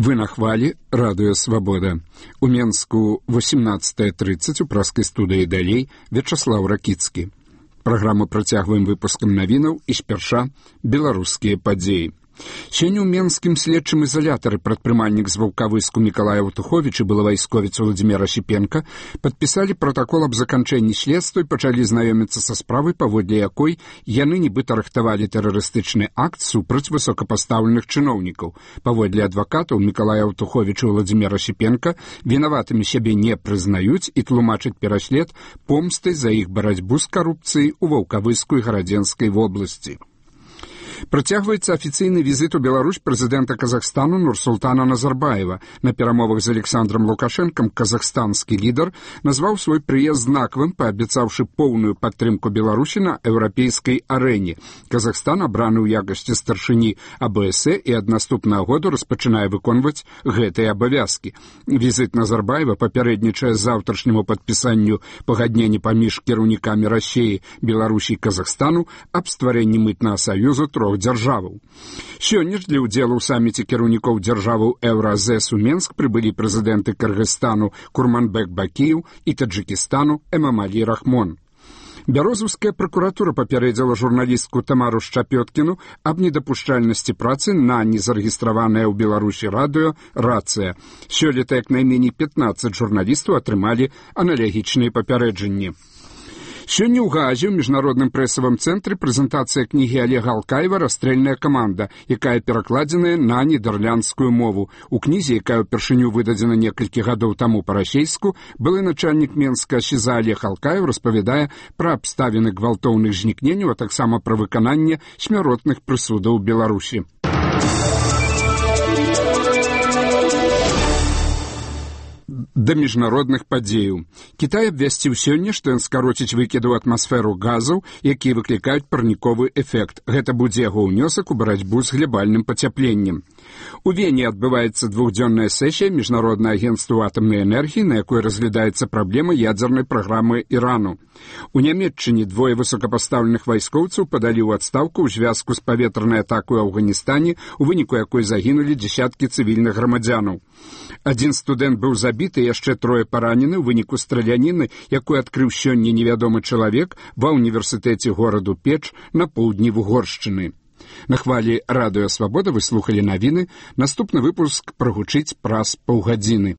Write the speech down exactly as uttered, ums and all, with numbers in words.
Вы на хвалі, радыё «Свабода». У Менску восемнадцатая тридцать у праскай студыі далей Вячаслаў Ракіцкі. Праграму працягваем выпускам навінаў і спярша беларускія падзеі. Сёння ў менскім следчым изолятары прадпрымальнік з Ваўкавыску Мікалай Аўтуховіч і былы вайсковец Владзімір Ашіпенка падпісалі пратакол аб заканчэнні следства і пачалі знаёміцца са справай, паводле якой яны нібыта рыхтавалі тэрарыстычны акт супраць высокапастаўленых чыноўнікаў. Паводле адвакатаў Мікалай Аўтуховіч і Владзімір Ашіпенка вінаватымі сябе не прызнаюць і тлумачаць пераслед помстай за іх барацьбу з карупцыяй у Ваўкавыску і Гарадзенскай вобласці. Працягваецца афіцыйны візіт у Беларусь прэзідэнта Казахстану Нурсултана Назарбаева. На перамовах з Александром Лукашэнкам казахстанскі лідар назваў свой прыезд знакавым, паабяцаўшы поўную падтрымку Беларусі на еўрапейскай арэне. Казахстан, абраны ў якасці старшыні А Б С і ад наступнага году распачынае выконваць гэтыя абавязкі. Візіт Назарбаева папярэднічае заўтрашняму падпісанню пагаднення паміж кіраўнікамі Расіі, Беларусі і Казахстану аб стварэнні мытнага саюзу трох дзяржаваў. Сёння ж для ўдзелу ў саміце кіраўнікоў дзяржаваў Еўразэс у Менск прыбылі прэзідэнты Кыргызстану Курманбек Бакіев і Таджикистану Эмамалі Рахмон. Бярозаўская пракуратура папярэдзіла журналістку Тамару Шчапёткіну аб недапушчальнасці працы на незарэгістраванае ў Беларусі радыё «Рацыя». Сёлета як найменей пятнаццаць журналістаў атрымалі аналагічныя папярэджанні. Сёння ў Гаазе ў міжнародным прэсавым цэнтры прэзентацыя кнігі Олега Алкаева «Расстрэльная каманда», якая перакладзеная на нідерландскую мову. У кнізе, якая ўпершыню выдадзена некалькі гадоў таму па-расейску, былы начальнік Менска СІЗА Олег Алкаев распавядае пра абставіны гвалтоўных знікненняў, а таксама пра выкананне смяротных прысудаў у Беларусі. Да міжнародных падзеяў. Кітай абвясціў сёння, што ён скароціць выкіды ў атмасферу газаў, якія выклікаюць парніковы эфект. Гэта будзе яго ўнёсак у барацьбу з глебальным пацяпленнем. У Вене адбываецца двухдзённая сесія Міжнароднага агенцтва атамнай энергіі, на якой разглядаецца праблема ядзернай праграмы Ірану. У Нямецчыне двое высокапастаўленых вайскоўцаў падалі ў адстаўку ў звязку з паветранай атакай у Афганістане, у выніку якой загінулі дзесяткі цывільных грамадзянаў. Адзін студэнт быў забіты, яшчэ трое паранены ў выніку страляніны, якую адкрыў сёння невядомы чалавек ва ўніверсітэце гораду Печ на поўдні Вугоршчыны. На хвалі радыё «Свабода» вы слухалі навіны. Наступны выпуск прагучыць праз паўгадзіны.